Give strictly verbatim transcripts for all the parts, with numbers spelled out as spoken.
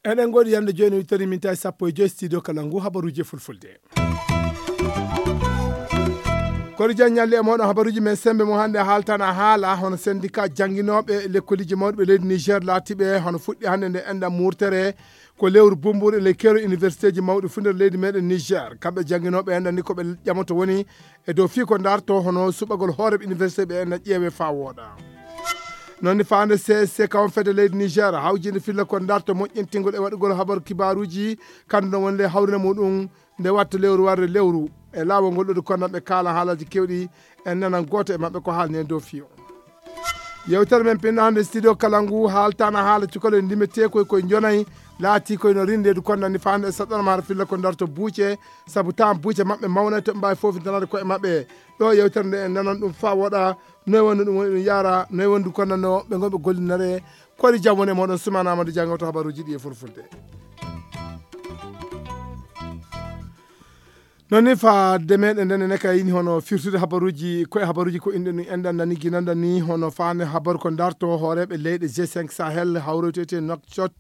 Eɗen ngoɗi yande jooni wittani min tawi sappo e joyi studio kala ngu habaruji e fulfulde. Kono jan ñalli e moɗon habaruji men sembe mo hannde haaltana haala hono syndicat jannginooɓe lekkoliji mawɗi ɓe leydi Niger laatiɓe hono fuɗɗi hannde nde enɗam murtere ko lewru bumburu e ley kero universitéji mawɗi fuu nder leydi meɗen Niger. Kamɓe jannginooɓe enɗam ni ko ɓe ƴamoto woni e dow fii ko ndarto hono suɓagol hooreɓe université ɓe enɗam ƴeewe faa wooɗa. Noon ni faande C S C kawon fedde leydi Niger hawjinde filla ko ndarto moƴƴintingol e waɗugol habaru kibaaruji kandu no wonde hawrina muɗum nde watta lewru warde lewru e laawol ngol ɗo konnan ɓe kaala haalaji kewɗi en nanan gooto e maɓɓe ko haalni en dow fiyo. Yewtere men pinno hannde studio kala ngu haaltana haala cukalo e ndime tekoy koye jonay laati koye no rindeedu konnan ni faande e saɗɗanama hara filla ko ndarto buuce sabu tan buuce maɓɓe mawnay to ɓe mbaawi fofintanade koye maɓɓe. Ɗo yewtere nde en nanan ɗum faa woɗa noy wonno ɗum woni ɗum yaara noy wondu konnanno ɓe ngonɓe gollinare. Kori jam woni e moɗon sumana amadu jangewto habaruji ɗi e fulfulde. Noon ni fadde meɗen nden ene kay yini hono firtude habaruji koye habaruji ko inɗe ɗum enɗan nani ginanɗan ni hono fande habaru ko darto hooreɓe leyɗe G cinq Sahel hawroytete Nouakchott.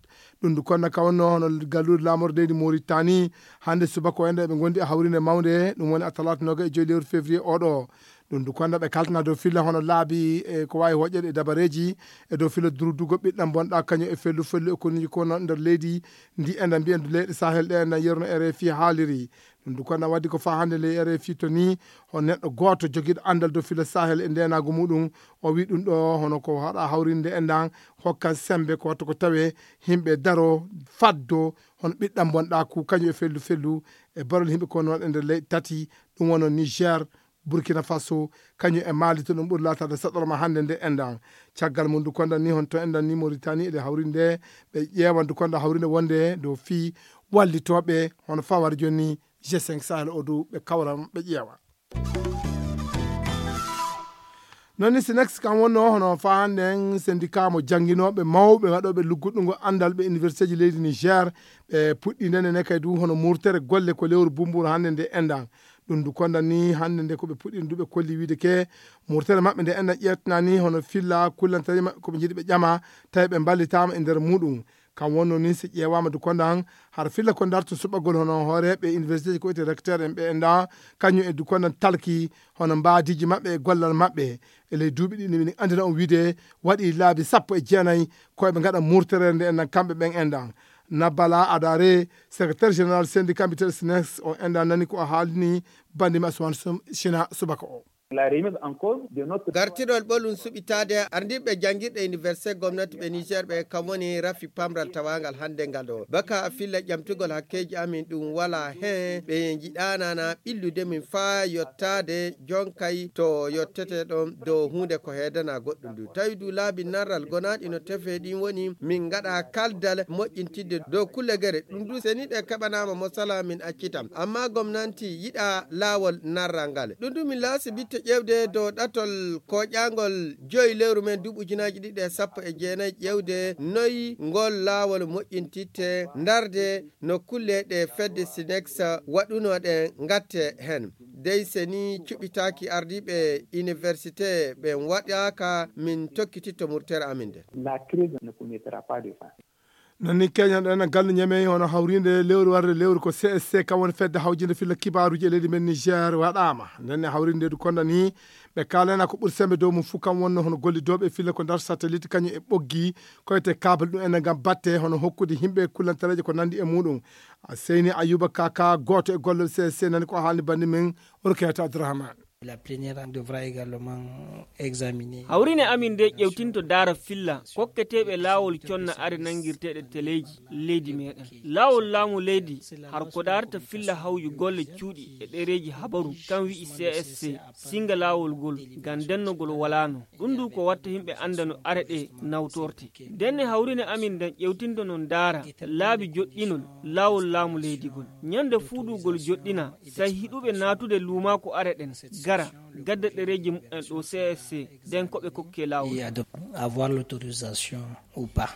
Ɗum ndu konna ka wonno hono galluure laamorde leydi Mauritanie hannde subaka o enɗan eɓe ngondi e hawrinde mawnde ɗum woni a talaata noga e joyi lewru février oɗo. Ɗum ndu konna ɓe kaltana dow filla hono laabi e ko wawi hoƴƴede e dabareji e dow filla durdugo ɓiɗɗam bonɗa kañum e fellu fellu e konuji kono nder leydi ndi enɗan mbiyen ndu leyɗe Sahel ɗe enɗan yerno R F I haaliri. Ɗum ndu konna waddi ko faa hannde ley R F I to ni hono neɗɗo gooto jogiiɗo anndal dow filla Sahel e ndeenaagu muɗum. O wi ɗum ɗo hono ko haɗa hawrinde enɗan hokkan sembe ko watta ko tawe himɓe daro faddo hono ɓiɗɗam bonɗaku kañum e fellu fellu e barol himɓe ko noon e nder leyɗe tati ɗum wonno Niger, Burkina Faso, kañum e Mali to ɗum ɓuri laataade saɗorma hannde nde enɗan. Caggal mum ndu kondan ni honto enɗan ni Mauritanie eɗe hawrinde ɓe ƴeewa ndu kondan hawrinde wonde dow fii wallitooɓe hono fawar joni G cinq Sahel o du ɓe kawran ɓe ƴeewa. Noon ni Sinex kam wonno hono faa hannde en syndicat mo jannginooɓe mawɓe waɗooɓe lugguɗungo anndal ɓe universitéji leydi Niger ɓe puɗɗi ndene ne kay du hono murtere golle ko lewru bumburu hannde nde enɗan. Ɗum ndu kondan ni hannde nde ko ɓe puɗɗi ndu ɓe kolli wiide ke murtere maɓɓe nde enɗan ƴettana ni hono filla kullantaji maɓɓe ko ɓe njiɗi ɓe ƴama tawi ɓe mballitaama e nder muɗum. Kam wonno ni si ƴeewaama du kondan hara filla ko darto suɓagol hono hooreeɓe universitéji ko wiyete recteur en ɓe enɗan kañum e du kondan talki hono mbaadiiji maɓɓe e gollal maɓɓe. E ley duuɓi ɗi min anndina on wiide waɗi laabi sappo e jeenayi ko eɓe ngaɗa murtere nde enɗan kamɓe ɓen enɗan. Nabbala Adare, secrétaire général syndicat mbiteɗo Sinex o enɗan nani ko o haalini bandi ma Suwan Sum- Sina subaka o. La remise en cause de notre Gartirol ɓolum suɓitaade ardiiɓe janngirɗe université gomnati ɓe Niger ɓe kam woni rafi pamral tawaangal hannde ngal ɗo baka filla ƴamtugol hakkeeji amin ɗum wala heen ɓe njiɗaanana ɓillude min faa yottaade jonkay to yottete ɗon dow huunde ko heedana goɗɗum ndu tawi du laabi narral gonaaɗi no tefe ɗin woni min ngaɗa kaldal moƴƴintidde dow kulle gere ɗum du seniɗe keɓanaama mo sala min accitam amma gomnanti yiɗa laawol narral ngal ɗum du min laasi bitte ƴeewde dow ɗatol koƴangol joyi lewru men duuɓi ujunaaji ɗiɗi e sappo e jeenayi ƴeewde noyi ngol laawol moƴƴintitte ndarde no kulle ɗe fedde sinex waɗunoɗen ngatte heen dey seni cuɓitaaki ardiiɓe université ɓen waɗaaka min tokkititto murtere amin nden. La crise ne connaîtra pas de fin. Noon ni keñanɗo en gallu ñamey hono hawrinde lewru warde lewru ko C S C kam woni fedde hawjinde filla kibaaruji e leydi men Niger waɗaama nden e hawrinde du konda ni ɓe kaalana ko ɓuri sembe dow mum fuu kam wonno hono gollidooɓe filla ko ndar satellite kañum e ɓoggi koyte kable ɗum enen ngam batte hono hokkude yimɓe kullantareeje ko nanndi e muɗum. Seyni Ayuba Kaka gooto e gollooɓe C S C nani ko haalni banndi men Rukayatu Abdourahmane. La plénière devra également examiner. Hawrine amin nde ƴewtinto daara filla kokketeeɓe laawol conna are nanngirteeɗe teleeji leydi meɗen laawol laamu leydi har ko daarata filla hawju golle cuuɗi e ɗereeji habaru kan wi'i C S C singa laawol ngol ngam dennogol walaano. Ɗum ndu ko watta yimɓe annda no are ɗe nawtorte. Ndenne hawrine amin nden ƴewtinto no ndaara laabi joɗɗinol laawol laamu leydi ngol. Ñande fuuɗugol joɗɗina, say hiɗuɓe naatude luumaaku are ɗen gara gadda ɗereeji mumen ɗo C S C nden ko ɓe kokke laawol. Et adop- avoir l'autorisation ou pas.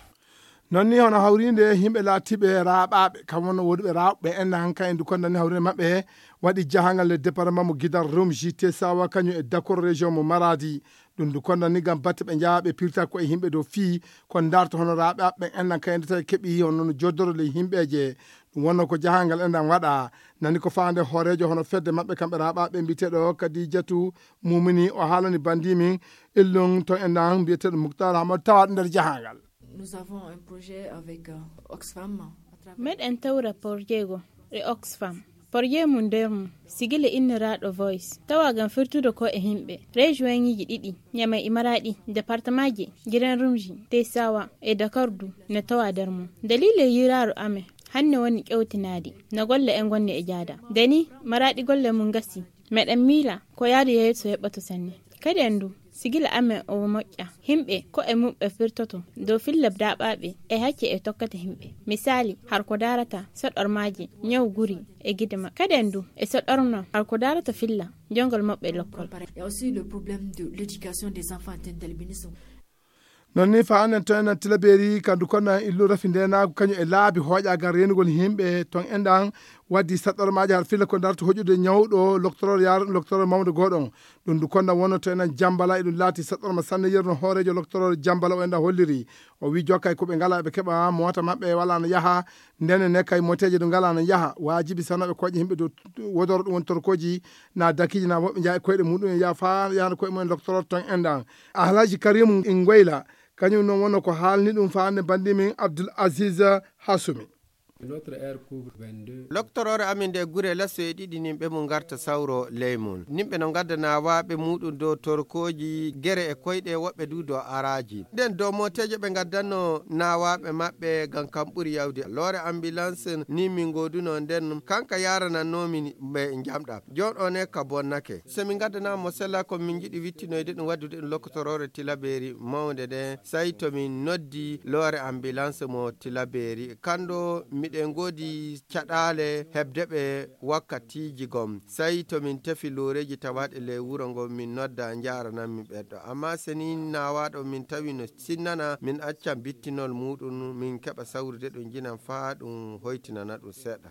Noon ni hono hawriinde yimɓe laatiiɓe raaɓaaɓe, kam wonno woduɓe raaɓɓe en han kayen du konnani hawriinde maɓɓe waɗi jahangal le département mo gidal Rumji, Tesawa, kañum e Dakor région mo Maradi. Ɗum du konnani ngam batte ɓe njaaɓe pirta ko e yimɓe dow fii ko darta hono raaɓaaɓe en nan kayen du tawi keɓi hono no joddoro le yimɓeeje. Ɗum wonno ko jahangal en ɗan waɗa. Nani ko faande hooreejo hono fedde maɓɓe kamɓe raaɓaaɓe mbiyeteeɗo Kadijatu Mumini, o haalani bandi min illum to en ɗan mbiyeteeɗo Muktar Hamad tawa nder jahangal. Nous avons un projet avec euh, Oxfam. Meɗen tawra porjeego e Oxfam. Porjee mum nder mum sigila inniraaɗo Voice tawa ngam firtude ko e yimɓe rejoiŋiiji ɗiɗi, Ñamey e Maraaɗi, départementji Giren Rumji, Tesawa e Dakardu ne tawa nder mum. Daliila yiiraaru amen hanne woni ƴewtinaade no golle en ngonni e jaada. Nde ni Maraaɗi golle mum ngasi. Meɗen miila ko yaadu yeeso heɓɓoto sanne. Kadi en du, sigila amen o moƴƴa. Yimɓe ko e muɓɓe firtoto dow filla daaɓaaɓe e hacce e tokkata yimɓe. Misaali, har ko daarata soɗormaaji, ñaw guri e gide maɓɓe. Kadi en du, e soɗorma har ko daarata filla jongol maɓɓe lokkol. Et aussi le problème de l'éducation des enfants atteint d'albinisme. Noon ni fa annen to enen tilaberi kandu konna illu rafi ndenaagu kañum e laabi hooƴaagal reenugol yimɓe ton en ɗan waddi saɗɗormaaji har filla ko darta hoƴude ñawɗo loktoroor yaara ɗum loktoroor mawde gooɗon. Ɗum ndu konna wonno to enen jambala eɗum laati saɗɗorma sanne yerno hooreejo loktoroor jambala o en ɗan holliri. O wi jokkay ko ɓe ngala ɓe keɓa moota maɓɓe wala no yaha. Ndene ne kay moteeje ɗo ngala no yaha waajibi sanaɓe koƴe yimɓe dow wodoro ɗum woni torkoji na dakiiji na woɓɓe njaha e koyɗe muɗum en yaha fa yahana koye mumen loktoroor ton en ɗan. Alhaji Karimu Ngoyla kañum noon wonno ko haalni ɗum faande bandi min Abdul Aziz Hasumi. Loktoroore amin nde gure lasso e ɗiɗi nin ɓe mum ngarta sawro ley mum. Nimɓe no ngadda naawaaɓe muɗum dow torkooji gere e koyɗe woɓɓe du dow araaji. Nden dow mooteeje ɓe ngaddanno naawaaɓe maɓɓe ngam kam ɓuri yawde. Loore ambulance ni min ngoduno nden kanka yaranannomi ɓe njamɗa. Joɗone ka bonnake. So min ngaddana mo sella ko min njiɗi wittinoyde ɗum waddude ɗum lokkotoroore tilaberi mawnde nde, sey to min noddi loore ambulance mo tilaberi. Kanɗo miɗen ngoodi caɗaale heɓde ɓe wakkatiiji gom. Sey to min tefi looreeji tawaaɗe ley wuro ngo min nodda njarananmi ɓeɗɗo. Amma so ni naawaaɗo min tawi no sinnana, min accan bittinol muɗum, min keɓa sawrude ɗum jinan faa ɗum hoytinana ɗum seeɗa.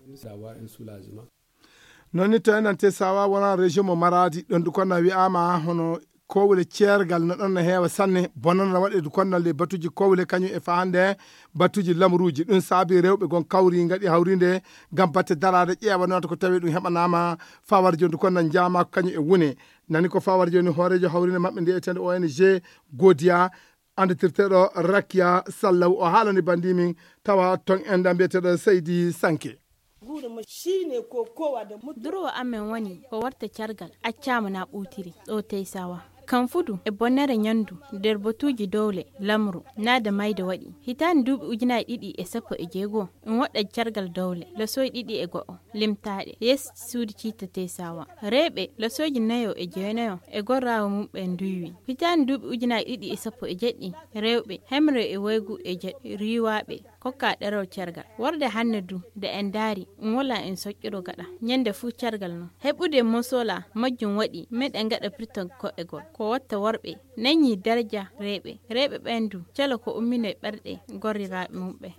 Noon ni to enante sawa wona région mo Maradi ɗon du konna wi'ama hono kowle ceergal no ɗon no heewa sanne bonana waɗe du konna le batuji kowle kañum e fahande batuji lamruji ɗum saabi rewɓe gon kawri ngaɗi hawrinde ngam batte daraade ƴeewa noon ko tawi ɗum heɓanama fawar joni du konna njama ko kañum e wune. Nani ko fawar joni hoorejo hawrinde maɓɓe nde etende O N G Godiya anditirteɗo Rakiya Sallaw o haalani bandi min tawa ton enda mbiyeteɗo Seydi Sanke. Durowo amen woni ko warta cargal accama na ɓutiri ɗo teysawa. Kan fudu e bonnere ñandu nder batuji dowle lamru naada mayde waɗi hitande duuɓi ujunaji ɗiɗi e sappo e jeego. Ɗum waɗa cargal dowle lasoy ɗiɗi e go'o limtaɗe yes suudu citta teysawa. Rewɓe lasoji nayo e jeenayo e gorrawo mumɓe nduywi. Hitande duuɓi ujunaji ɗiɗi e sappo e jeɗɗi rewɓe hemre e waygu e jeɗɗi riwaɓe kokka ɗerol cergal. Warde hannde du nde en daari ɗum wala en soƴƴoro gaɗa ñande fuu cergal non heɓude mosola majjum waɗi meɗen gaɗa pirtol ko'egol ko watta worɓe nañi daraja rewɓe. Rewɓe ɓen du cala ko ummino e ɓerɗe gorriraaɓe mumɓe.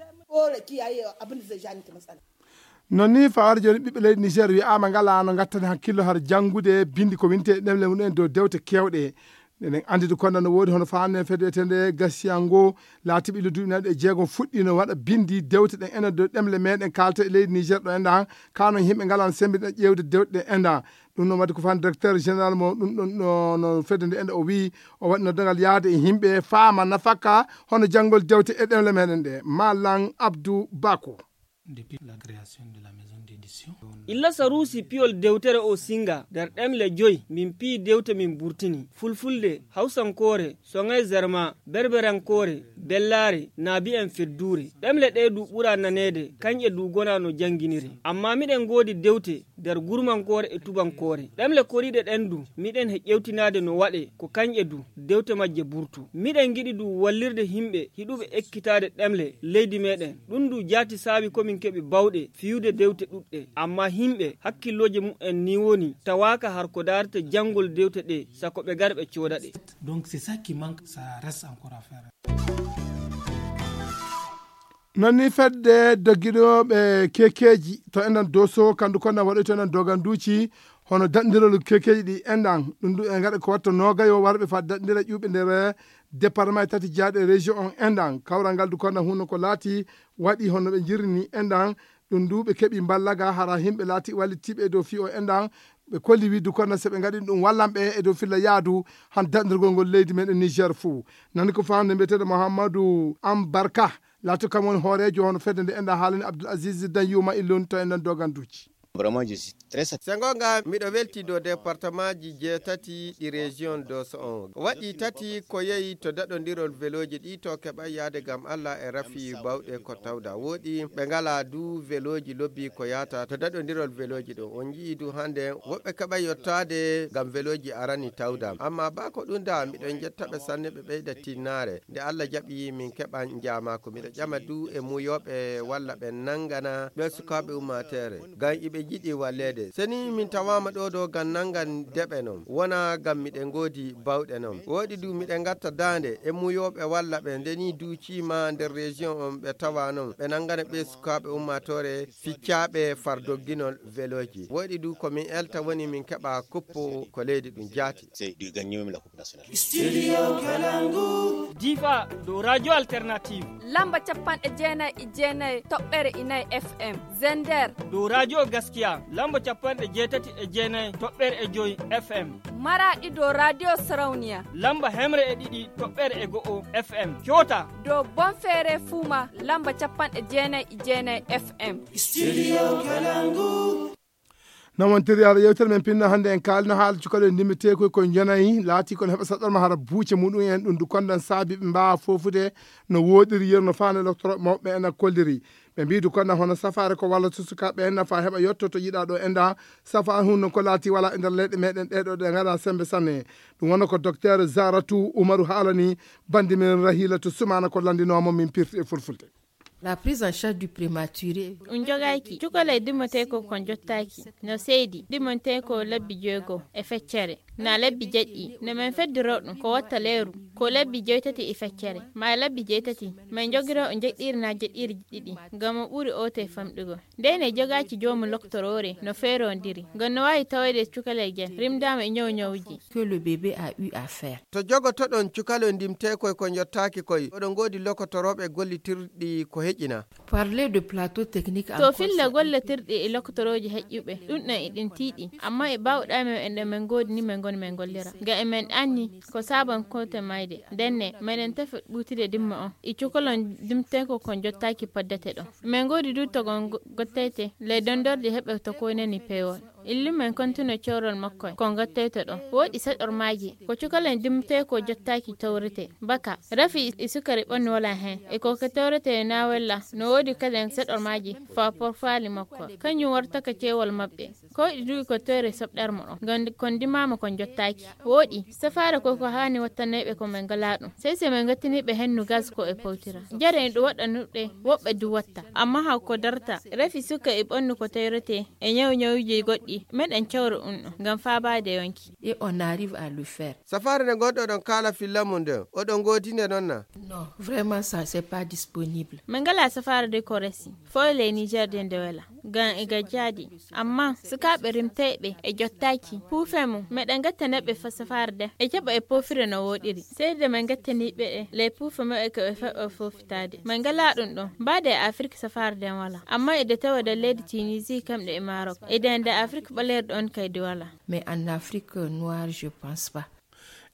Noon ni fawaade jooni ɓiɓɓe leydi Niger wi'aama ngalaa no ngattani hakkillo har janngude binndi ko winte e ɗemle mum en dow dewte keewɗe. Eɗen anndi du konda no woodi hono faande fedde etende gasiyango laatiɓe ilo duuɓi naɗe e jeegom fuɗɗino waɗa binndi dewte ɗen enen dow ɗemle meɗen kaalta e leydi Niger ɗo enɗa han kano yimɓe ngalano sembiɗa ƴeewde dewte ɗen enɗa. Ɗum ɗon waɗi ko faande directeur général mo ɗum ɗon no fedde nde enɗa o wi o waɗi noddangal yaade e yimɓe faama nafaka hono janngol dewte e ɗemle meɗen ɗe. Malan Abdou Bako. Illa saruusi piyol dewtere o singa nder ɗemle joy min piyi dewte min burtini fulfulde hawsankoore soŋay zerma berberankoore bellaare naabi'en fedduure. Ɗemle ɗe du ɓura naneede kañƴe du gona no jannginire. Amma miɗen ngoodi dewte nder gurmankoore e tubankoore. Ɗemle koriiɗe ɗen du miɗen he ƴewtinaade no waɗe ko kañƴe du dewte majje burtu. Miɗen ngiɗi du wallirde himɓe hiɗuɓe ekkitaade ɗemle leydi meɗen. Ɗum du jaati saabi komin keɓi bawɗe fiyude dewte ɗuɗɗe. Amma himɓe hakkillooje mum'en ni woni tawaaka har ko daarata janngol dewte ɗe sako ɓe gar ɓe cooda ɗe. Donc c'est ça qui manque, ça reste encore à faire. Non ni fedde dogginooɓe kekeeji to enɗan Doso, kandu kon na waɗoy to enɗan Doganduuci, hono daɗndirol kekeeji ɗi enɗan, ɗum ɗum e ngaɗa ko watta noogayo warɓe fa daɗndira ƴuuɓe nder département e tati jaaɗe région on enɗan. Kawral ngal du kon na hunno ko laati waɗi hono ɓe njirni enɗan, ɗum du ɓe keɓi mballaga hara himɓe laati wallitiiɓe e dow fii o enɗan, ɓe kolli wiide kon na so ɓe ngaɗi ɗum wallan ɓe e dow filla yaadu han daɗndirgol ngol leydi meɗen Niger fuu. Nani ko faamde mbiyeteeɗo Mouhamadou Ambarka, laati kam woni hooreejo hono fedde nde enɗan haalani Abdoul Aziz Danyuma Illun to enɗan Doganduuci. Vraiment, je suis très satisfait. Sengo nga miɗo welti dow département ji jeetati ɗi région Doso on. Waɗi tati ko yehi to daɗondirol veloji ɗi to keɓa yaade gam Allah e rafi bawɗe ko tawda. Woɗi ɓe ngala du veloji lobbi ko yahata to daɗondirol veloji ɗo. On ji'i du hande woɓɓe keɓa yottaade gam veloji arani tawda. Amma ba ko ɗum da miɗo jetta ɓe sanne ɓe ɓeyda tinnaare. Nde Allah jaɓi min keɓan jaamaaku. Miɗo ƴama du e muuyooɓe walla ɓe nangana ɓe sukaaɓe ummateere. Ngam iɓe jiɗi walleede. Seni min tawaama ɗo ɗo ngam nangan deɓe non. Wona ngam miɗen ngoodi bawɗe non. Woɗi du miɗen ngatta daande e muuyooɓe walla ɓe ndeni duuciima nder région on ɓe tawa non. Ɓe nangana ɓe sukaaɓe ummaatoore ficcaaɓe far dogginol velooji. Woɗi du ko min elta woni min keɓa kuppo ko leydi ɗum jaati. C'est du gagner même la Coupe nationale. Studio Kalangu. Diva dow Radio Alternative. Lamba capanɗe jeenayi e jeenayi toɓɓere inayi F M. Zender. Dow Radio Gaskiya. Lamba capanɗe jeetati e jeenayi toɓɓere e joyi F M. Maraɗi dow Radio Sarauniya. Lamba hemre e ɗiɗi toɓɓere e go'o F M. Coota. Dow Bonfere Fuma. Lamba capanɗe jeenayi e jeenayi F M. Studio Kalangu. No wontiri hara yewtere men pinna hannde en kaalino haala cukalel ndimmetee koy ko njonayi laati kono heɓa saɗɗorma hara buuce muɗum en ɗum du kondan saabi ɓe mbaawa foofude no wooɗiri yeru no faana docteur mawɓe en a kolliri. Ɓe mbii du kondan hono safaare ko walla to sukaaɓe en nafa heɓa yotto to yiɗaa ɗo enda safaare hun non ko laati wala e nder leyɗe meɗen ɗeɗo ɗe ngaɗa sembe sanne. Ɗum wona ko docteur Zaratu Umaru haalani bandi men Rahila to sumaana ko landinoomo min pirti e fulfulde. La prise en charge du prématuré. Ɗum jogaaki cukalel dimmetee ko kon jottaaki no seedi dimmetee ko labbi jeego e feccere na labbi jeɗɗi no men feddiro ɗum ko watta leeru ko labbi jeetati e feccere ma labbi jeetati men jogiro o jeɗɗiri na jeɗɗiri ɗiɗi ngam o ɓuri oote famɗugo. Ndene jogaaki joomu loktoroore no feerondiri ngam no waawi tawede cukalel gel rimdaama e ñaw ñawuji. Que le bébé a eu à faire. To jogotoɗon cukalel ndimtee koy ko jottaaki koy oɗon ngoodi lokotorooɓe gollitirɗi ko heƴina. Parler de plateau technique. To filla gollitirɗi e lokotorooji heƴƴuɓe ɗum ɗon e ɗin tiiɗi amma e baawɗaa men e ɗo men ngoodi ni men ngoni men gollira ngam e men anni ko saaban koote mayde ndenne meɗen tefa ɓuutude dimma on e cukalel ndimtee ko ko jottaaki poddete ɗo. Men ngoodi du togon gottete ley dondorde heɓe to koynani peewol. Illumen kontino cewrol makko e ko ngattoyto ɗo. Woɗi saɗormaaji ko cukalel ndimtee ko jottaaki tawrete baka rafi e sukari ɓannu wala heen e ko ke tawrete na wella no woodi kadi saɗormaaji fa porfaali makko kañum wartaka ceewol maɓɓe. Ko waɗi duuɓi ko tawre soɓɗarmo ɗo ngam ko ndimaama ko jottaaki. Woɗi safaare ko ko haani wattaneeɓe ko men ngalaa ɗum sey so men ngattiniiɓe hennu gaz ko e pawtira. Jare en ɗum waɗanuɗe woɓɓe du watta amma haw ko darta rafi suka e ɓannu ko tawrete e ñaw ñawuji goɗɗi meɗen cawra ɗum ɗo ngam faabaade yonki. Et on arrive à le faire. Safaare nde gonɗo ɗon kaala filla mum nden oɗon ngoodi nde noon na? Non, vraiment ça c'est pas disponible. Min ngalaa safaare de ko resi foyle e Niger de nde wela ngam e gajjaadi amma sukaaɓe rimteeɓe e jottaaki puufe mum meɗen ngattaneɓe fa safaare de e jaɓa e poofire no woɗiri seyde men ngattaniɓe e ley puufe maɓɓe ko ɓe faɓa foofitaade. Min ngalaa ɗum ɗon mbaade e Afrik safaare de wala amma e de tawa de leydi Tunisie kamɗe e Maroc e de nde Afrik ɓaleeri ɗon kaydi wala. Mais en Afrique noire je pense pas.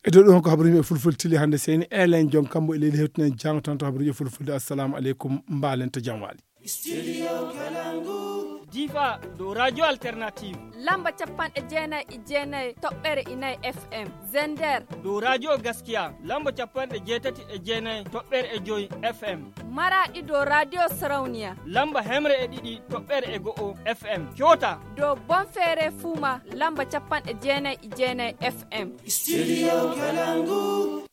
E dow ɗum ko habaruji e fulfulde tili hannde seyni elen jon kambo e leydi hewtinen jango tan to habaruji e fulfulde. Assalamu aleykum mbaalen to jam waali. Studio Kalangu. Diva dow Radio Alternative. Lamba capanɗe jeenayi e jeenayi toɓɓere inayi F M. Zender. Dow Radio Gaskiya lamba capanɗe jeetati e jeenayi toɓɓere e joyi F M. Maraɗi dow Radio Sarauniya. Lamba hemre e ɗiɗi toɓɓere e go'o F M. Coota. Dow Bonfere Fuma lamba capanɗe jeenayi e jeenayi F M. Studio Kalangu.